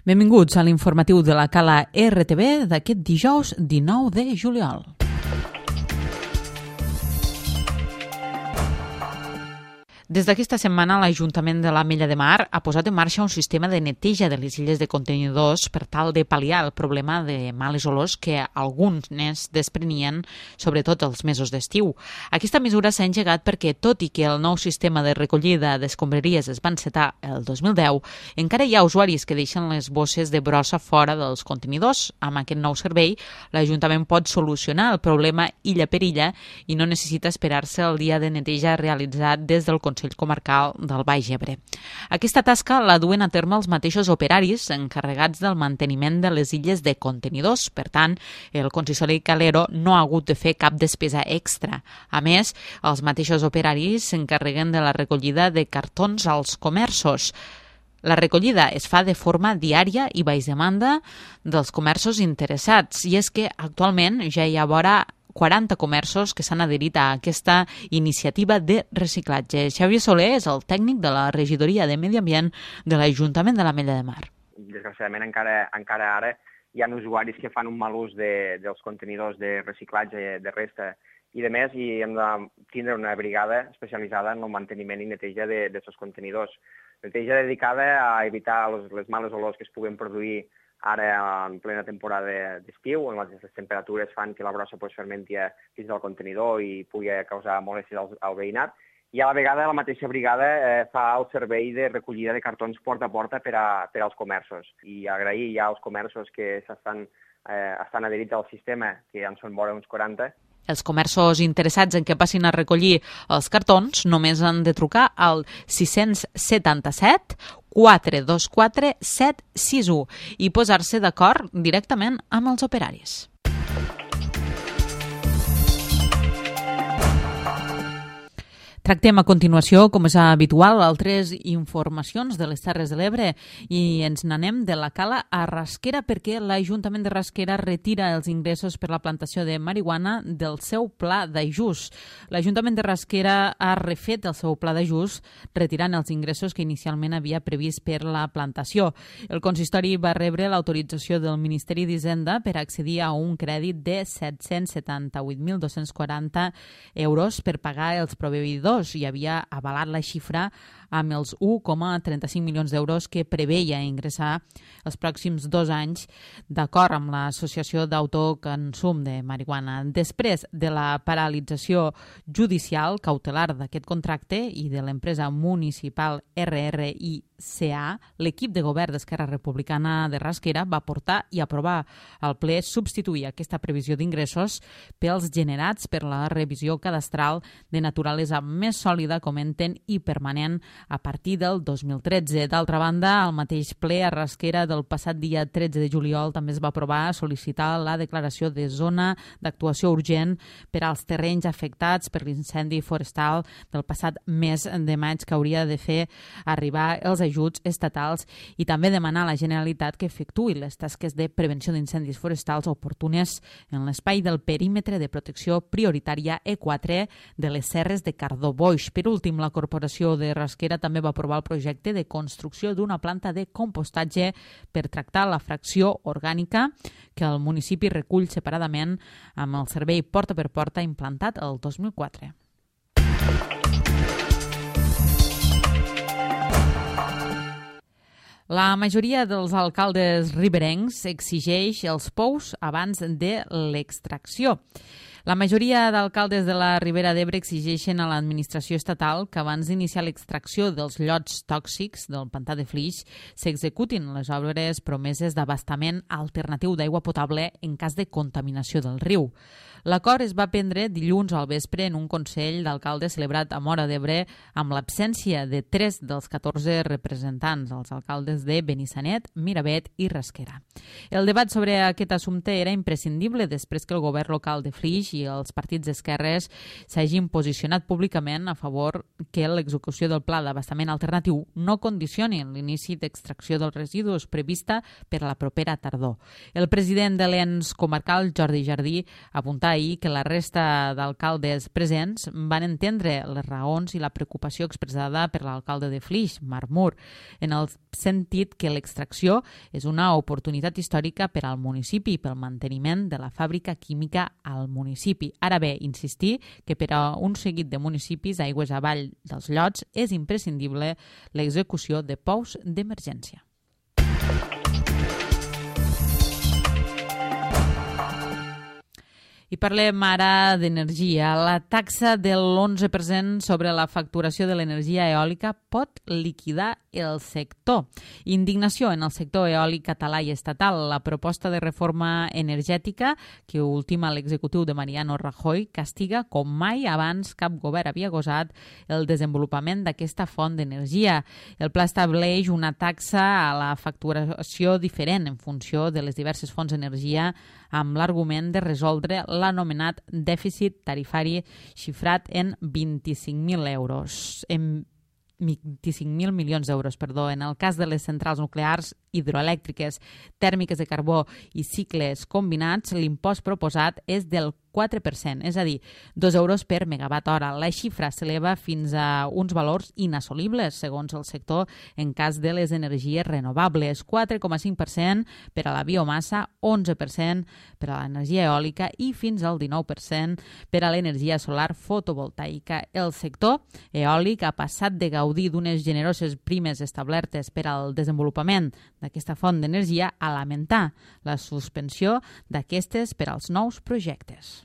Benvinguts a l'informatiu de la Cala RTV d'aquest dijous 19 de juliol. Des d'aquesta setmana, l'Ajuntament de l'Ametlla de Mar ha posat en marxa un sistema de neteja de les illes de contenidors per tal de pal·liar el problema de males olors que alguns desprenien, sobretot els mesos d'estiu. Aquesta mesura s'ha engegat perquè, tot i que el nou sistema de recollida d'escombraries es va encetar el 2010, encara hi ha usuaris que deixen les bosses de brossa fora dels contenidors. Amb aquest nou servei, l'Ajuntament pot solucionar el problema illa per illa i no necessita esperar-se el dia de neteja realitzat des del Consell Comarcal del Baix Ebre. Aquesta tasca la duen a terme els mateixos operaris encarregats del manteniment de les illes de contenidors. Per tant, el consistori calero no ha hagut de fer cap despesa extra. A més, els mateixos operaris s'encarreguen de la recollida de cartons als comerços. La recollida es fa de forma diària i baix demanda dels comerços interessats, i és que actualment ja hi ha vora 40 comerços que s'han adherit a aquesta iniciativa de reciclatge. Xavier Soler és el tècnic de la Regidoria de Medi Ambient de l'Ajuntament de l'Ametlla de Mar. Desgraciadament encara ara hi ha usuaris que fan un mal ús dels contenidors de reciclatge de resta i de més, i hem de tindre una brigada especialitzada en el manteniment i neteja d'aquests contenidors. Neteja dedicada a evitar les males olors que es puguen produir ara en plena temporada d'estiu, on les temperatures fan que la brossa fermenti dins del contenidor i pugui causar molèsties al veïnat. I a la vegada la mateixa brigada fa el servei de recollida de cartons porta a porta per als comerços. I agrair ja als comerços que estan adherits al sistema, que ja en són vora uns 40. Els comerços interessats en què passin a recollir els cartons només han de trucar al 677 424 761 i posar-se d'acord directament amb els operaris. Tractem a continuació, com és habitual, altres informacions de les Terres de l'Ebre i ens n'anem de la Cala a Rasquera perquè l'Ajuntament de Rasquera retira els ingressos per la plantació de marihuana del seu pla d'ajust. L'Ajuntament de Rasquera ha refet el seu pla d'ajust retirant els ingressos que inicialment havia previst per la plantació. El consistori va rebre l'autorització del Ministeri d'Hisenda per accedir a un crèdit de 778.240 euros per pagar els proveïdors i havia avalat la xifra amb els 1,35 milions d'euros que preveia ingressar els pròxims 2 anys d'acord amb l'Associació d'Autoconsum de Marihuana. Després de la paralització judicial cautelar d'aquest contracte i de l'empresa municipal RRICA, l'equip de govern d'Esquerra Republicana de Rasquera va portar i aprovar al ple substituir aquesta previsió d'ingressos pels generats per la revisió cadastral de naturalesa més sòlida, comenten, i permanent a partir del 2013. D'altra banda, al mateix ple a Rasquera del passat dia 13 de juliol també es va aprovar sol·licitar la declaració de zona d'actuació urgent per als terrenys afectats per l'incendi forestal del passat mes de maig, que hauria de fer arribar els ajuts estatals, i també demanar a la Generalitat que efectuï les tasques de prevenció d'incendis forestals oportunes en l'espai del perímetre de protecció prioritària E4 de les Serres de Cardó-Boix. Per últim, la Corporació de Rasquera també va aprovar el projecte de construcció d'una planta de compostatge per tractar la fracció orgànica que el municipi recull separadament amb el servei porta per porta implantat el 2004. La majoria dels alcaldes riberencs exigeix els pous abans de l'extracció. La majoria d'alcaldes de la Ribera d'Ebre exigeixen a l'administració estatal que abans d'iniciar l'extracció dels llots tòxics del pantà de Flix s'executin les obres promeses d'abastament alternatiu d'aigua potable en cas de contaminació del riu. L'acord es va prendre dilluns al vespre en un Consell d'Alcaldes celebrat a Móra d'Ebre amb l'absència de 3 dels 14 representants, els alcaldes de Benissanet, Miravet i Rasquera. El debat sobre aquest assumpte era imprescindible després que el govern local de Flix Flix i els partits d'esquerres s'hagin posicionat públicament a favor que l'execució del pla d'abastament alternatiu no condicioni l'inici d'extracció dels residus prevista per a la propera tardor. El president de l'ENS comarcal, Jordi Jardí, apunta ahir que la resta d'alcaldes presents van entendre les raons i la preocupació expressada per l'alcalde de Flix, Marc Mur, en el sentit que l'extracció és una oportunitat històrica per al municipi i pel manteniment de la fàbrica química al municipi. Ara bé, insistir que per a un seguit de municipis aigües avall dels llots és imprescindible l'execució de pous d'emergència. I parlem ara d'energia. La taxa de l'11% sobre la facturació de l'energia eòlica pot liquidar el sector. Indignació en el sector eòlic català i estatal. La proposta de reforma energètica que ultima l'executiu de Mariano Rajoy castiga com mai abans cap govern havia gosat el desenvolupament d'aquesta font d'energia. El pla estableix una taxa a la facturació diferent en funció de les diverses fonts d'energia amb l'argument de resoldre l'anomenat dèficit tarifari xifrat en 25.000 euros. En 25.000 milions d'euros, en el cas de les centrals nuclears, hidroelèctriques, tèrmiques de carbó i cicles combinats, l'impost proposat és del 4%, és a dir, 2 euros per megawatt hora. La xifra s'eleva fins a uns valors inassolibles, segons el sector, en cas de les energies renovables, 4,5% per a la biomassa, 11% per a l'energia eòlica i fins al 19% per a l'energia solar fotovoltaica. El sector eòlic ha passat de gaudir d'unes generoses primes establertes per al desenvolupament d'aquesta font d'energia a lamentar la suspensió d'aquestes per als nous projectes.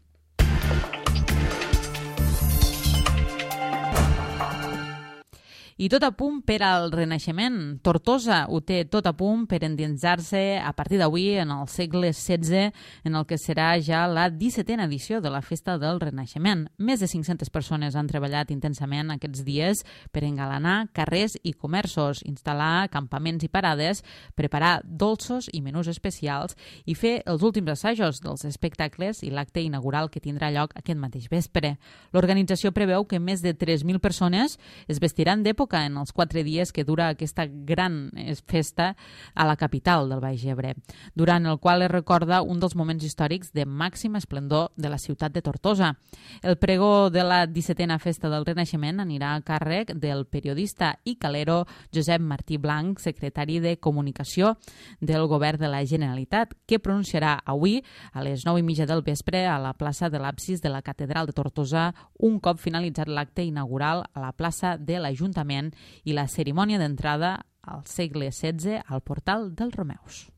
I tot a punt per al Renaixement. Tortosa ho té tot a punt per endinsar-se a partir d'avui en el segle XVI, en el que serà ja la 17a edició de la Festa del Renaixement. Més de 500 persones han treballat intensament aquests dies per engalanar carrers i comerços, instal·lar campaments i parades, preparar dolços i menús especials i fer els últims assajos dels espectacles i l'acte inaugural que tindrà lloc aquest mateix vespre. L'organització preveu que més de 3.000 persones es vestiran d'època en els 4 dies que dura aquesta gran festa a la capital del Baix Ebre, durant el qual es recorda un dels moments històrics de màxim esplendor de la ciutat de Tortosa. El pregó de la 17a Festa del Renaixement anirà a càrrec del periodista i calero Josep Martí Blanc, secretari de Comunicació del Govern de la Generalitat, que pronunciarà avui a les 9:30 del vespre a la plaça de l'Absis de la Catedral de Tortosa, un cop finalitzat l'acte inaugural a la plaça de l'Ajuntament i la cerimònia d'entrada al segle XVI al portal dels Romeus.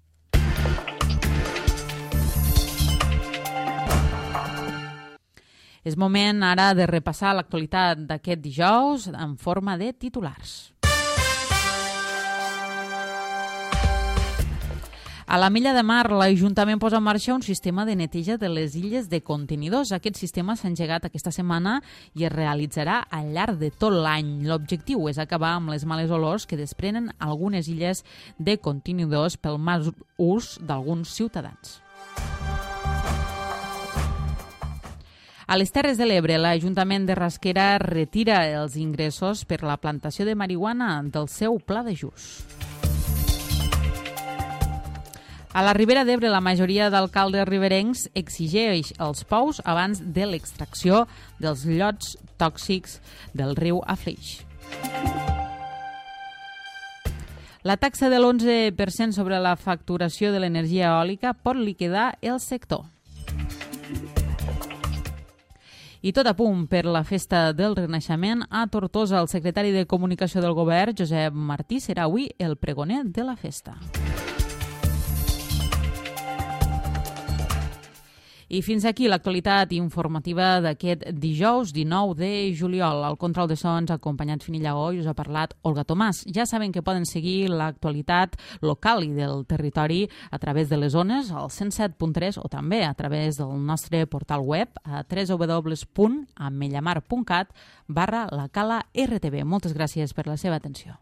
És moment ara de repassar l'actualitat d'aquest dijous en forma de titulars. A la Mella de Mar, l'Ajuntament posa en marxa un sistema de neteja de les illes de contenidors. Aquest sistema s'ha engegat aquesta setmana i es realitzarà al llarg de tot l'any. L'objectiu és acabar amb les males olors que desprenen algunes illes de contenidors pel mal ús d'alguns ciutadans. A les Terres de l'Ebre, l'Ajuntament de Rasquera retira els ingressos per la plantació de marihuana del seu pla d'ajust. A la Ribera d'Ebre, la majoria d'alcaldes riberencs exigeix els pous abans de l'extracció dels llots tòxics del riu a Flix. La taxa de l'11% sobre la facturació de l'energia eòlica pot liquidar el sector. I tot a punt per la Festa del Renaixement a Tortosa. El secretari de Comunicació del Govern, Josep Martí, serà avui el pregoner de la festa. I fins aquí l'actualitat informativa d'aquest dijous 19 de juliol. Al control de so ens ha acompanyat Fini Llagó i us ha parlat Olga Tomàs. Ja saben que poden seguir l'actualitat local i del territori a través de les ones, al 107.3 o també a través del nostre portal web a www.amellamar.cat/la Cala RTV. Moltes gràcies per la seva atenció.